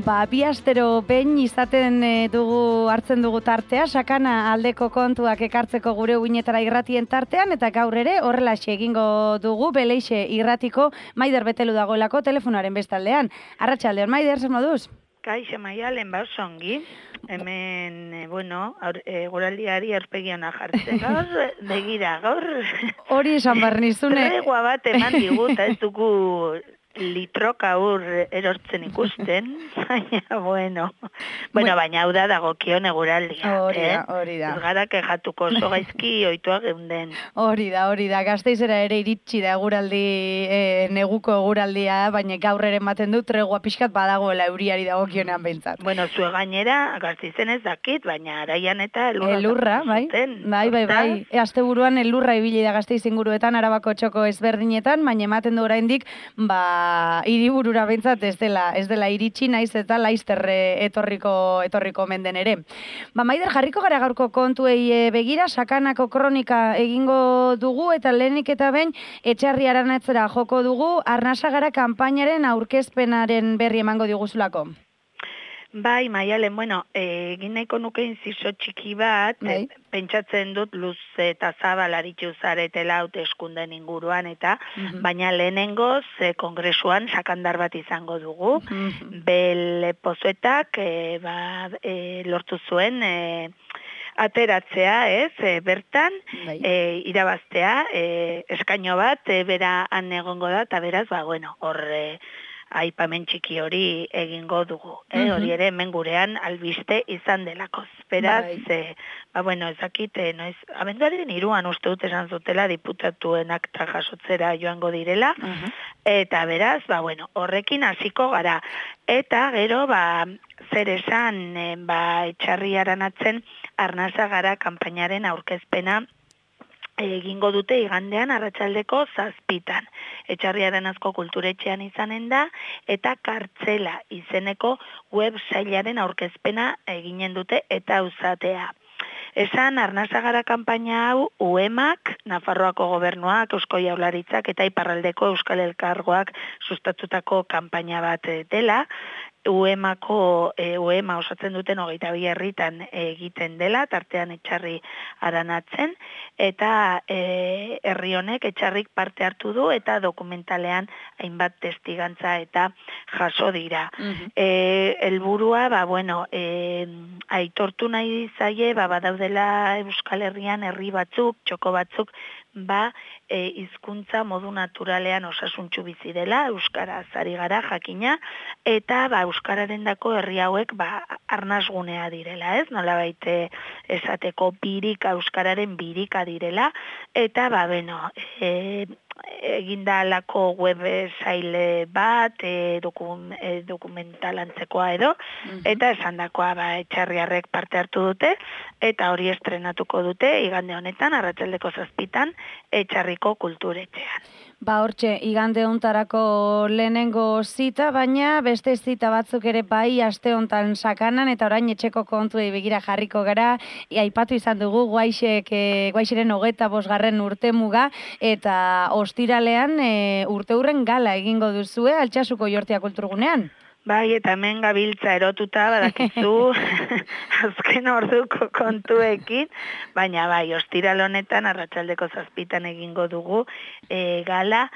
Bi astero behin izaten hartzen dugu tartea, sakana aldeko kontuak ekartzeko gure uinetara irratien tartean, eta gaur ere horrelaxe egingo dugu Beleixe irratiko Maider Betelu dagoelako telefonaren bestaldean. Arratsaldeon, Maider, zer moduz? Kaixo Maialen, ongi. Hemen, guraldiari aurpegiona jartzen gaur, begira gaur. Hori esan barnizune. Tregua bat eman digut, ez dugu litroka erortzen ikusten, baina, baina hau da dagokion eguraldia. Hori da. Ez gara kejatuko oso gaizki oituak geunden. Hori da, Gasteizera ere iritsi da neguko eguraldia, baina gaur ere ematen du tregua pixkat badagoela euriari dagokionean behintzat. Zue gainera, Gasteizen ez dakit, baina araian eta elurra, bai. Asteburuan elurra ibili da Gasteiz inguruetan, Arabako txoko ezberdinetan, baina ematen du oraindik, hiriburura behintzat ez dela iritsi, naiz eta laizterre etorriko menden ere. Maider, jarriko gara gaurko kontuei begira, sakanako kronika egingo dugu, eta lehenik eta behin Etxarri Aranatzera joko dugu, Arnasagara kanpainaren aurkezpenaren berri emango diguzulako. Bai, Maialen, egin nahiko nuke inziso txiki bat, pentsatzen dut luze eta zabal aritzu zaretela hauteskunden inguruan, eta baina lehenengoz kongresuan sakandar bat izango dugu. Bel Pozuetak lortu zuen ateratzea, bertan, irabaztea, eskaino bat, bera han egongo da, eta beraz, horre, aipamen txiki hori egingo dugu. Hori ere hemen gurean albiste izan delakoz. Beraz, ezakit, abenduaren 3 uste dut esan zutela diputatuen akta jasotzera joango direla, eta beraz, horrekin hasiko gara. Eta gero, zer esan, Etxarri Aranatzen Arnasagara kanpainaren aurkezpena egingo dute igandean arratsaldeko 7:00. Etxarri Aranazko kulturetxean izanen da, eta Kartzela izeneko websailaren aurkezpena eginen dute eta uzatea. Esan Arnasagara kanpaina hau UEMak, Nafarroako gobernuak, Eusko Jaurlaritzak eta Iparraldeko Euskal Elkargoak sustatutako kanpaina bat dela. UEMA osatzen duten 22 herritan egiten dela, tartean Etxarri Aranatzen, eta herri honek Etxarrik parte hartu du, eta dokumentalean hainbat testigantza eta jaso dira. Helburua, aitortu nahi zaie, badaudela Euskal Herrian herri batzuk, txoko batzuk, hizkuntza modu naturalean osasuntsu bizi dela, euskaraz ari gara jakina, eta euskararendako herri hauek arnasgunea direla, ez? Nolabait esateko euskararen birika direla, eta eginda alako website bat, dokumentalantzekoa edo, eta esandakoa Etxarriarrek parte hartu dute, eta hori estrenatuko dute igande honetan, arratsaldeko 7:00 Etxarriko kulturetxean. Hortxe, igande hontarako lehenengo zita, baina beste zita batzuk ere aste hontan sakanan, eta orain etxeko kontuei begira jarriko gara, aipatu izan dugu Guaixeren 25. urtemuga, eta ostiralean urteurren gala egingo duzue Altsasuko Jortia kulturgunean. Bai, eta hemen gabiltza erotuta, badakizu, azken orduko kontuekin, baina ostiral honetan arratsaldeko 7:00 egingo dugu gala.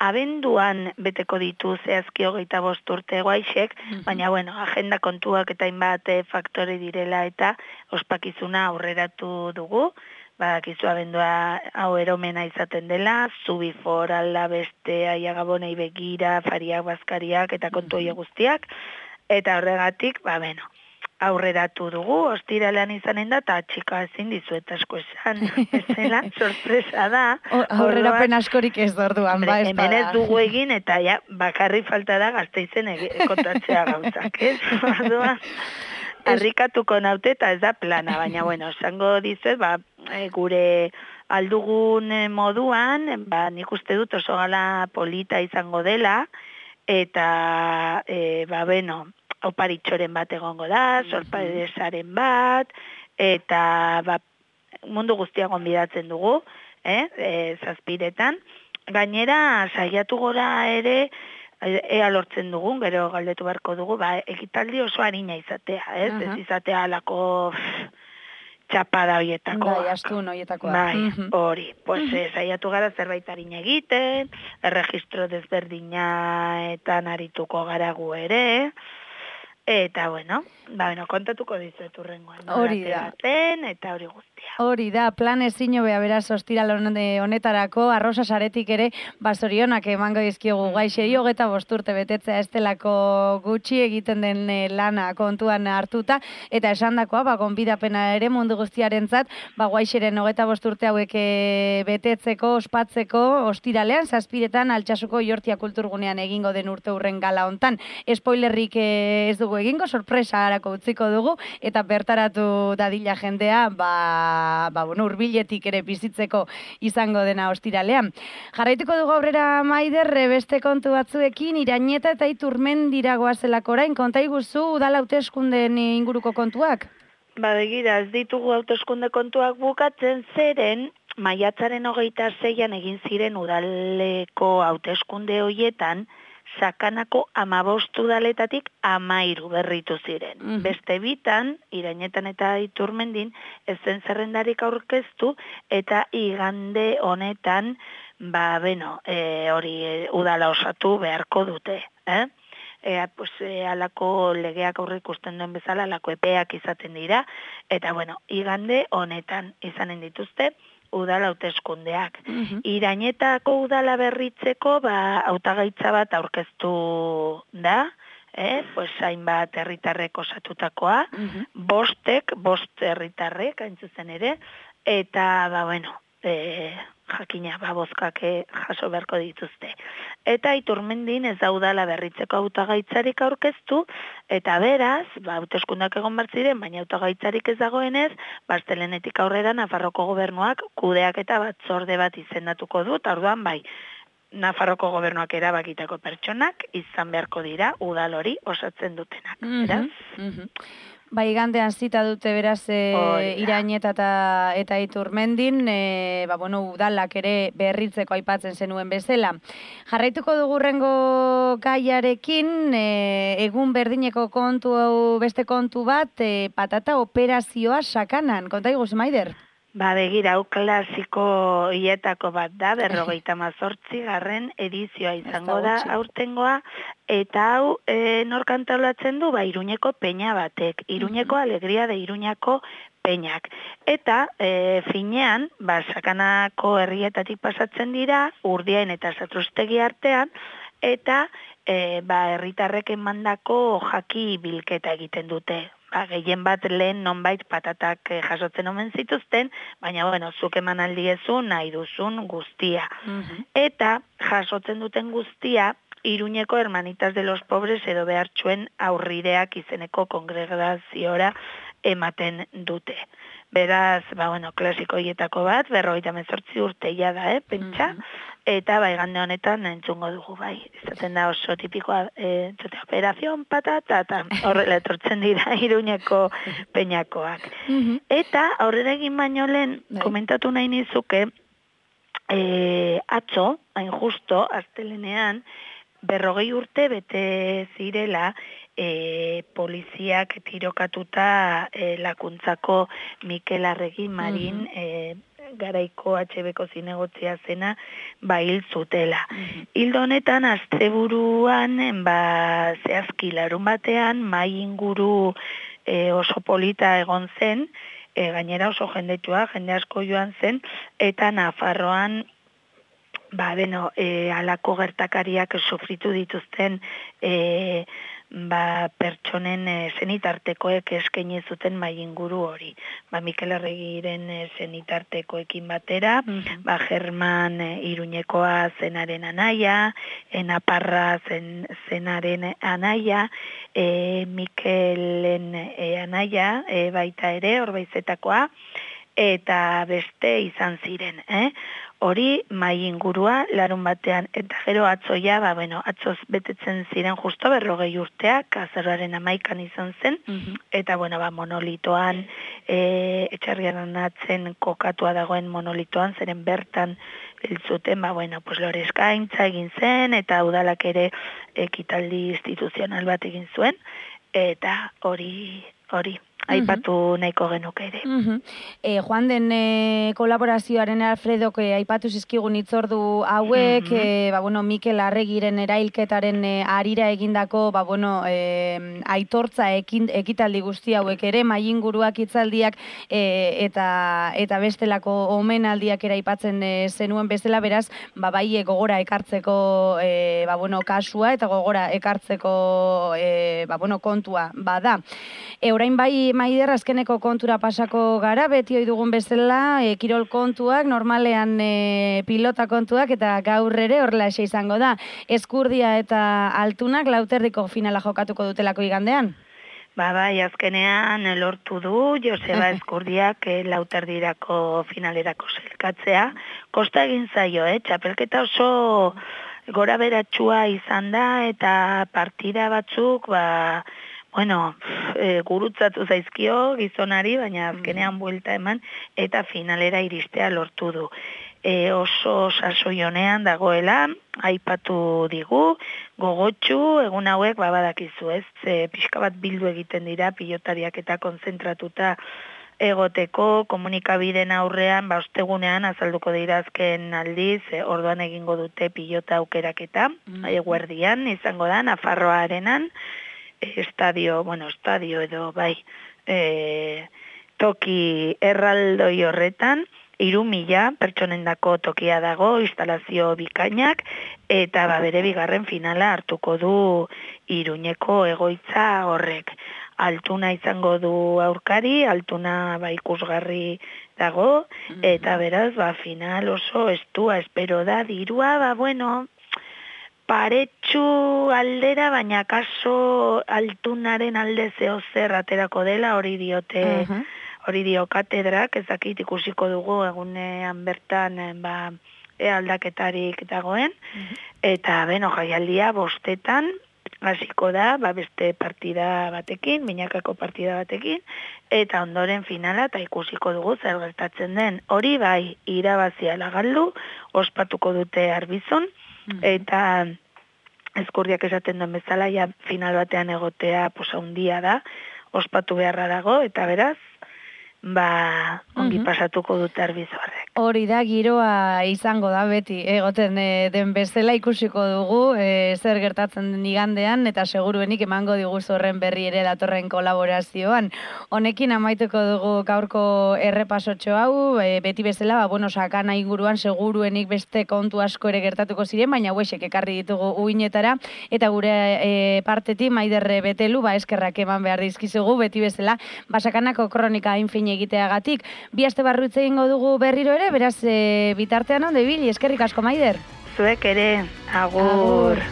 Abenduan beteko ditu zehazki 25 urte Guaixek, baina agenda kontuak eta hainbat faktore direla eta ospakizuna aurreratu dugu. Badakizu abendua hau eromena izaten dela, Zubi Forala, beste Aiagabonei begira, Fariak, Bazkariak eta kontu horiek guztiak, eta horregatik, aurreratu dugu, ostiralean izanen da, eta txika ezin dizuet asko esan, ezela, sorpresa da. Aurrerapen askorik ez orduan, ez hemen ez dugu egin, eta bakarri falta da Gasteizen kontatzea gauzak, ez? Orduan, harrikatuko naute eta ez da plana, baina esango dizuet, gure aldugun moduan, nik uste dut oso gala polita izango dela, eta, oparitxoren bat egongo da, sorpresaren bat, eta mundu guztia gonbidatzen dugu, 7:00. Gainera, saiatu gora ere, ea lortzen dugun, gero galdetu beharko dugu, ekitaldi oso harina izatea, ez? Ez izatea alako txapada hoietakoa. Bai, astun hoietakoa. Bai, hori. Pues saiatu gara zerbait harina egiten, erregistro desberdinetan arituko gara gu ere, eta bueno, kontatuko dizuet urrengoan. Hori da. Eta hori guztia. Hori da, plan ezin hobea beraz ostiral honetarako, arrosa saretik ere, zorionak emango dizkiogu Gaixeri, 25 urte betetzea ez delako gutxi egiten den lana kontuan hartuta, eta esandakoa, gonbidapena ere mundu guztiarentzat, Gaixeren 25 urte hauek betetzeko, ospatzeko, ostiralean, 7:00 Altsasuko Iortia Kulturgunean egingo den urte hurren gala hontan. Spoilerrik ez dugu egingo, sorpresa harako utziko dugu, eta bertaratu dadila jendea, urbiletik ere bizitzeko izango dena ostiralean. Jarraituko dugu aurrera Maider, beste kontu batzuekin, Irañeta eta Iturmendira goazelako orain, konta iguzu udal hauteskundeen inguruko kontuak? Begira, ez ditugu hauteskunde kontuak bukatzen zeren, maiatzaren 26an egin ziren udaleko hauteskunde hoietan, Sakanako 15 udaletatik 13 berritu ziren. Beste bitan, Irañetan eta Iturmendin, ez zen zerrendarik aurkeztu, eta igande honetan, hori udala osatu beharko dute. Alako legeak aurre ikusten duen bezala, alako epeak izaten dira, eta igande honetan izanen dituzte, udala hauteskundeak. Irañetako udala berritzeko hautagaitza bat aurkeztu da, hainbat herritarrek osatutakoa, 5 herritarrek hain zuzen ere, eta jakina bozkak jaso beharko dituzte. Eta Iturmendin ez da udala berritzeko hautagaitzarik aurkeztu, eta beraz, hauteskundak egon ziren, baina hautagaitzarik ez dagoenez, astelehenetik aurrera Nafarroko gobernuak kudeaketa batzorde bat izendatuko du, eta orduan Nafarroko gobernuak erabakitako pertsonak izan beharko dira udal hori osatzen dutenak. Igandean zita dute beraz Irañeta eta Iturmendin, udalak ere berritzeko aipatzen zenuen bezala. Jarraituko dugu rengo gaiarekin, egun berdineko beste kontu bat, patata operazioa Sakanan. Konta iguz, Maider? Begira, hau klasiko hietako bat da, 58. edizioa izango da aurtengoa, eta hau nork antolatzen du, Iruñeko peña batek, Iruñeko alegria de Iruñako peñak. Eta finean, Sakanako herrietatik pasatzen dira, Urdiain eta Satrustegi artean, eta herritarrek emandako jaki bilketa egiten dute. Gehien bat lehen nonbait patatak jasotzen omen zituzten, baina zuk eman aldiezun nahi duzun guztia. Eta jasotzen duten guztia, Iruñeko Hermanitas de los Pobres edo behartxuen aurrideak izeneko kongregaziora ematen dute. Beraz, klasiko hietako bat, 58 urteia da, pentsa, eta igande honetan entzungo dugu, izaten da oso tipikoa, operazion patata, eta horrela etortzen dira Iruñeko peñakoak. Eta aurrera egin baino lehen, komentatu nahi nizuke, atzo, hain justo, astelenean, 40 urte bete zirela, poliziak tirokatuta Lakuntzako Mikel Arregi Marin garaiko HB-ko zinegotzia zena hil zutela. Hildo honetan, asteburuan, zehazki larun batean, mai inguru oso polita egon zen, gainera oso jendetua, jende asko joan zen, eta Nafarroan alako gertakariak sufritu dituzten pertsonen zenitartekoek eskaini zuten mai inguru hori. Mikel Arregiren zenitartekoekin batera, German Iruñekoa zenaren anaia, Naparra zenaren anaia, Mikelen anaia baita ere, Orbaizetakoa, eta beste izan ziren, Hori mai ingurua larun batean, eta gero atzoia, atzoz betetzen ziren justo 40 urteak, azaroaren 11an izan zen, eta monolitoan, etxarrian atzen kokatua dagoen monolitoan, zeren bertan zuten, bueno, pues lore eskaintza egin zen, eta udalak ere ekitaldi instituzional bat egin zuen, eta hori aipatu nahiko genuke ere. Joan den kolaborazioaren Alfredok aipatu zizkigun hitzordu hauek, Mikel Arregiren erailketaren arira egindako, aitortza ekitaldi guzti hauek ere, maiinguruak hitzaldiak eta bestelako omenaldiak ere aipatzen zenuen bezala, beraz, bai gogora ekartzeko kasua eta gogora ekartzeko kontua bada. Orain bai, Maider, azkeneko kontura pasako gara, beti dugun bezala, kirol kontuak, normalean pilota kontuak, eta gaur ere horrela izango da. Eskurdia eta Altunak Lauterdiko finala jokatuko dutelako igandean? Bai, azkenean lortu du Joseba Eskurdiak Lauterdirako finalerako zelkatzea. Kosta egin zaio, txapelketa oso gora beratxua izan da, eta partida batzuk, gurutzatu zaizkio gizonari, baina azkenean buelta eman, eta finalera iristea lortu du. Oso sasoionean dagoela, aipatu digu, gogotxu, egun hauek badakizu ez, pixka bat bildu egiten dira, pilotariak eta konzentratuta egoteko, komunikabideen aurrean, ostegunean azalduko dira azken aldiz, orduan egingo dute pilota aukeraketa, eguerdian, izango da, Nafarroa Arenan, estadio edo toki erraldoi horretan, 3.000 pertsonendako tokia dago, instalazio bikainak, eta bere bigarren finala hartuko du Iruñeko egoitza horrek. Altuna izango du aurkari, Altuna ikusgarri dago, eta beraz, final oso estua, espero da, dirua, paretxu aldera, baina kaso Altunaren alde zehozer aterako dela, hori dio katedrak, ezakit ikusiko dugu egunean bertan aldaketarik dagoen, eta jaialdia 5 hasiko da, beste partida batekin, binakako partida batekin, eta ondoren finala, eta ikusiko dugu zer gertatzen den. Hori irabazia lagaldu, ospatuko dute Arbizon, eta Eskurdiak esaten duen bezala, final batean egotea handia da, ospatu beharra dago, eta beraz, ongi pasatuko dute Arbizorrek. Hori da, giroa izango da beti, egoten den bezala ikusiko dugu, zer gertatzen den igandean, eta seguruenik emango digu horren berri ere datorren kolaborazioan. Honekin amaituko dugu gaurko errepasotxo hau, beti bezala, sakana inguruan seguruenik beste kontu asko ere gertatuko ziren, baina huesek ekarri ditugu uinetara, eta gure partetik Maider Betelu, eskerrak eman behar dizkizugu, beti bezala, sakanako kronika infin egiteagatik. 2 aste barru egingo dugu berriro ere, beraz bitartean onde ibili, eskerrik asko Maider. Zuek ere, agur.